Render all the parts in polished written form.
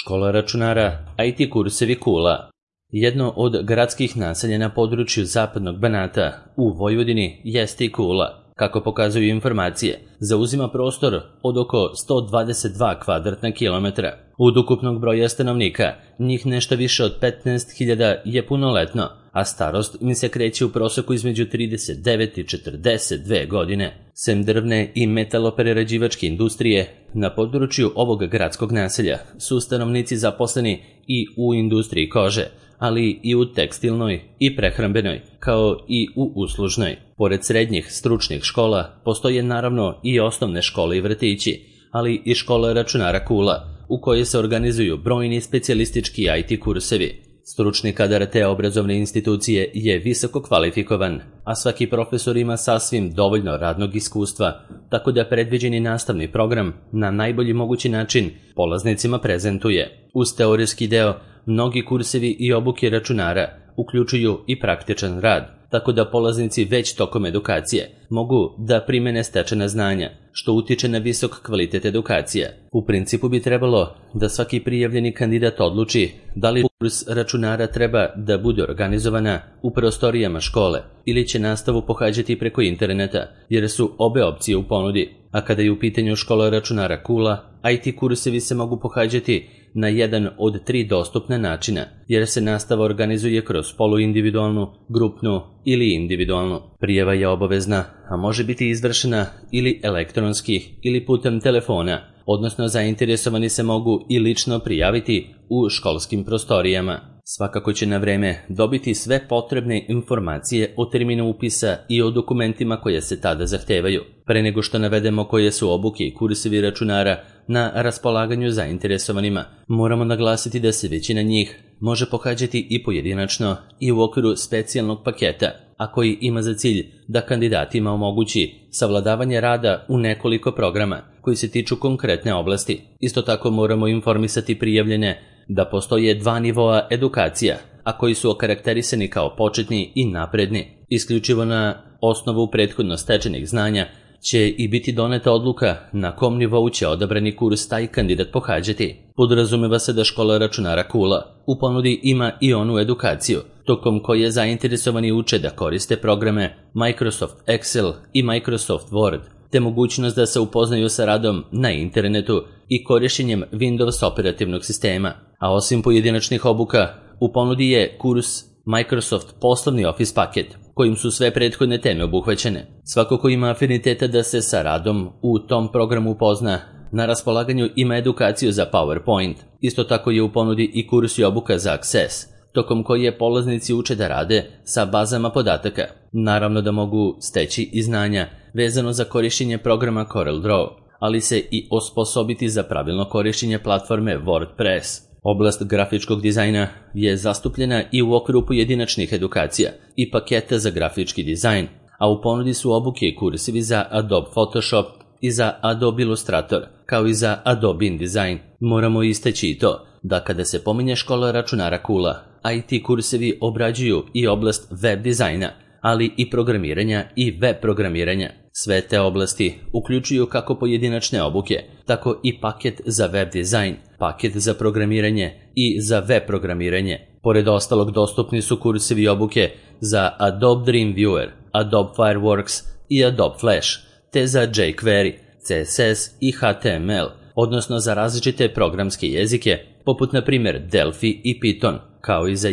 Škola računara, IT kursevi Kula. Jedno od gradskih naselja na području zapadnog Banata u Vojvodini jeste i Kula. Kako pokazuju informacije, zauzima prostor od oko 122 kvadratna kilometra. Od ukupnog broja stanovnika, njih nešto više od 15.000 je punoletno, a starost im se kreće u proseku između 39 i 42 godine. Sem drvne i metaloprerađivačke industrije, na području ovog gradskog naselja su stanovnici zaposleni i u industriji kože, ali i u tekstilnoj i prehrambenoj, kao i u uslužnoj. Pored srednjih stručnih škola, postoje naravno i osnovne škole i vrtići, ali i škola računara Kula, u kojoj se organizuju brojni specijalistički IT kursevi. Stručni kadar te obrazovne institucije je visoko kvalifikovan, a svaki profesor ima sasvim dovoljno radnog iskustva, tako da predviđeni nastavni program na najbolji mogući način polaznicima prezentuje. Uz teorijski deo, mnogi kursevi i obuke računara uključuju i praktičan rad, tako da polaznici već tokom edukacije mogu da primene stečena znanja, što utiče na visok kvalitet edukacije. U principu bi trebalo da svaki prijavljeni kandidat odluči da li kurs računara treba da bude organizovana u prostorijama škole ili će nastavu pohađati preko interneta, jer su obe opcije u ponudi. A kada je u pitanju škola računara Kula, IT kursevi se mogu pohađati na jedan od 3 dostupna načina, jer se nastava organizuje kroz poluindividualnu, grupnu ili individualnu. Prijava je obavezna, a može biti izvršena ili elektronski ili putem telefona, odnosno zainteresovani se mogu i lično prijaviti u školskim prostorijama. Svakako će na vreme dobiti sve potrebne informacije o terminu upisa i o dokumentima koje se tada zahtevaju. Pre nego što navedemo koje su obuke i kursevi računara na raspolaganju zainteresovanima, moramo naglasiti da se većina njih može pohađati i pojedinačno i u okviru specijalnog paketa, a koji ima za cilj da kandidatima omogući savladavanje rada u nekoliko programa koji se tiču konkretne oblasti. Isto tako moramo informisati prijavljene da postoje 2 nivoa edukacija, a koji su okarakterisani kao početni i napredni. Isključivo na osnovu prethodno stečenih znanja će i biti doneta odluka na kom nivou će odabrani kurs taj kandidat pohađati. Podrazumeva se da škola računara Kula u ponudi ima i onu edukaciju, tokom koje zainteresovani uče da koriste programe Microsoft Excel i Microsoft Word, te mogućnost da se upoznaju sa radom na internetu i korišćenjem Windows operativnog sistema. A osim pojedinačnih obuka, u ponudi je kurs Microsoft poslovni Office paket, kojim su sve prethodne teme obuhvaćene. Svako ko ima afiniteta da se sa radom u tom programu upozna, na raspolaganju ima edukaciju za PowerPoint. Isto tako je u ponudi i kurs i obuka za Access, tokom koje polaznici uče da rade sa bazama podataka. Naravno da mogu steći i znanja vezano za korišćenje programa CorelDRAW, ali se i osposobiti za pravilno korišćenje platforme WordPress. Oblast grafičkog dizajna je zastupljena i u okviru pojedinačnih edukacija i paketa za grafički dizajn, a u ponudi su obuke i kursevi za Adobe Photoshop i za Adobe Illustrator, kao i za Adobe InDesign. Moramo istaći i to da kada se pominje škola računara Kula, IT kursevi obrađuju i oblast web dizajna, ali i programiranja i web programiranja. Sve te oblasti uključuju kako pojedinačne obuke, tako i paket za web dizajn, paket za programiranje i za web programiranje. Pored ostalog dostupni su kursevi i obuke za Adobe Dreamweaver, Adobe Fireworks i Adobe Flash, te za jQuery, CSS i HTML, odnosno za različite programske jezike, poput na primjer Delphi i Python, kao i za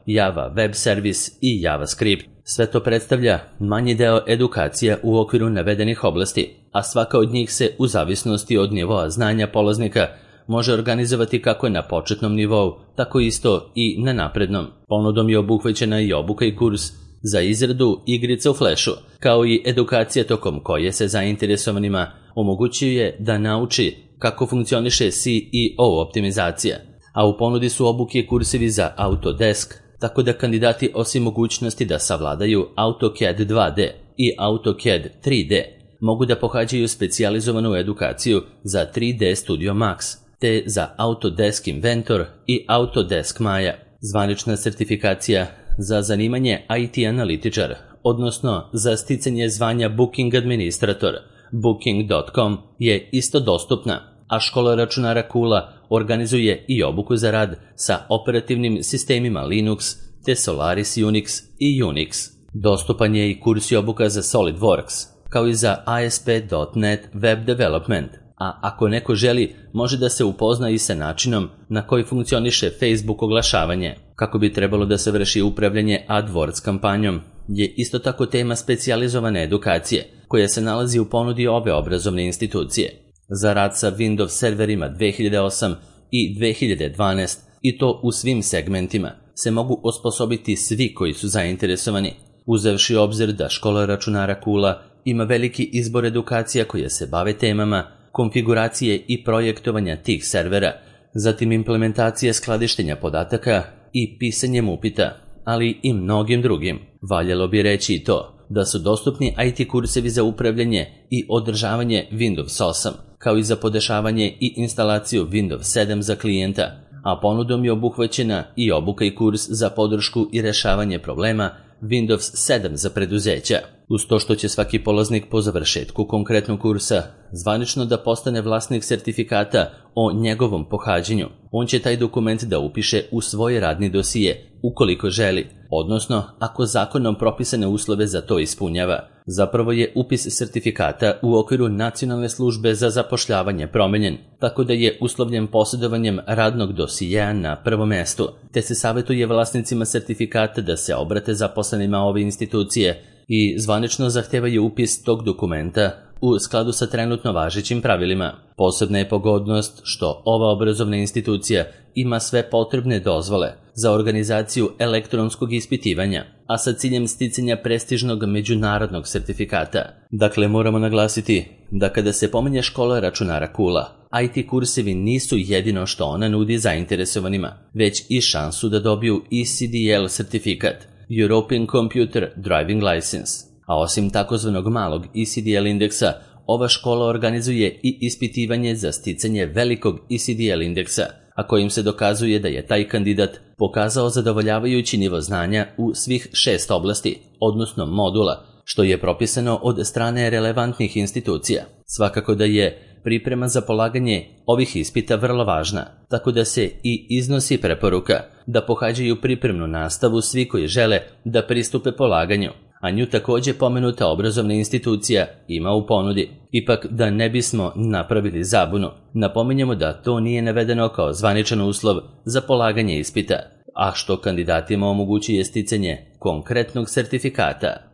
Java Web Service i JavaScript. Sve to predstavlja manji deo edukacija u okviru navedenih oblasti, a svaka od njih se u zavisnosti od nivoa znanja polaznika može organizovati kako na početnom nivou, tako isto i na naprednom. Ponudom je obuhvaćena i obuka i kurs za izradu igrica u Flashu, kao i edukacija tokom koje se zainteresovanima omogućuje da nauči kako funkcioniše CEO optimizacija, a u ponudi su obuke i kursevi za Autodesk, tako da kandidati osim mogućnosti da savladaju AutoCAD 2D i AutoCAD 3D mogu da pohađaju specijalizovanu edukaciju za 3D Studio Max, te za Autodesk Inventor i Autodesk Maya. Zvanična sertifikacija za zanimanje IT analitičar, odnosno za sticanje zvanja Booking Administrator, Booking.com, je isto dostupna. a škola računara Kula organizuje i obuku za rad sa operativnim sistemima Linux te Solaris Unix i Unix. Dostupan je i kurs i obuka za SolidWorks, kao i za ASP.NET Web Development, a ako neko želi, može da se upozna i sa načinom na koji funkcioniše Facebook oglašavanje. Kako bi trebalo da se vrši upravljanje AdWords kampanjom, je isto tako tema specijalizovane edukacije, koja se nalazi u ponudi ove obrazovne institucije. Za rad sa Windows serverima 2008 i 2012, i to u svim segmentima, se mogu osposobiti svi koji su zainteresovani, uzevši obzir da škola računara Kula ima veliki izbor edukacija koje se bave temama konfiguracije i projektovanja tih servera, zatim implementacije skladištenja podataka i pisanjem upita, ali i mnogim drugim. Valjalo bi reći i to da su dostupni IT kursevi za upravljanje i održavanje Windows 8, kao i za podešavanje i instalaciju Windows 7 za klijenta, a ponudom je obuhvaćena i obuka i kurs za podršku i rešavanje problema Windows 7 za preduzeća. Uz to što će svaki polaznik po završetku konkretnog kursa zvanično da postane vlasnik sertifikata o njegovom pohađanju, on će taj dokument da upiše u svoj radni dosije, ukoliko želi, odnosno ako zakonom propisane uslove za to ispunjava. Zapravo je upis sertifikata u okviru Nacionalne službe za zapošljavanje promenjen, tako da je uslovljen posjedovanjem radnog dosijeja na prvom mestu, te se savjetuje vlasnicima sertifikata da se obrate zaposlenima ove institucije i zvanično zahtevaju upis tog dokumenta u skladu sa trenutno važećim pravilima. Posebna je pogodnost što ova obrazovna institucija ima sve potrebne dozvole za organizaciju elektronskog ispitivanja, a sa ciljem sticanja prestižnog međunarodnog sertifikata. Dakle, moramo naglasiti da kada se pominje škola računara Kula, IT kursevi nisu jedino što ona nudi zainteresovanima, već i šansu da dobiju ECDL sertifikat, European Computer Driving License. A osim takozvanog malog ECDL indeksa, ova škola organizuje i ispitivanje za sticanje velikog ECDL indeksa, a kojim se dokazuje da je taj kandidat pokazao zadovoljavajući nivo znanja u svih 6 oblasti, odnosno modula, što je propisano od strane relevantnih institucija. Svakako da je priprema za polaganje ovih ispita vrlo važna, tako da se i iznosi preporuka da pohađaju pripremnu nastavu svi koji žele da pristupe polaganju, a nju također pomenuta obrazovna institucija ima u ponudi. Ipak, da ne bismo napravili zabunu, napominjemo da to nije navedeno kao zvaničan uslov za polaganje ispita, a što kandidatima omogućuje sticanje konkretnog sertifikata.